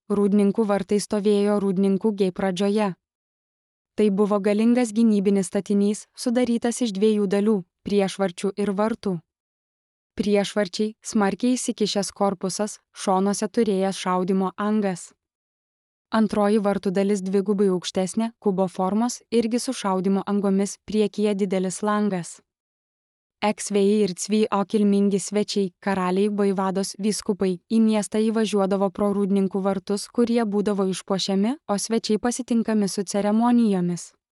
Rūdninkų vartai stovėjo Rūdninkų Gei pradžioje. Tai buvo galingas gynybinis statinys, sudarytas iš 2 dalių – priešvarčių ir vartų. Priešvarčiai – smarkiai įsikišęs korpusas, šonuose turėjęs šaudymo angas. Antroji vartų dalis 2 aukštesnė, kubo formos, irgi su šaudymo angomis, priekyje didelis langas. Eksvėjai ir Cvy-o kilmingi svečiai, karaliai, vaivados, vyskupai į miestą įvažiuodavo pro Rūdninkų vartus, kurie būdavo išpuošiami, o svečiai pasitinkami su ceremonijomis.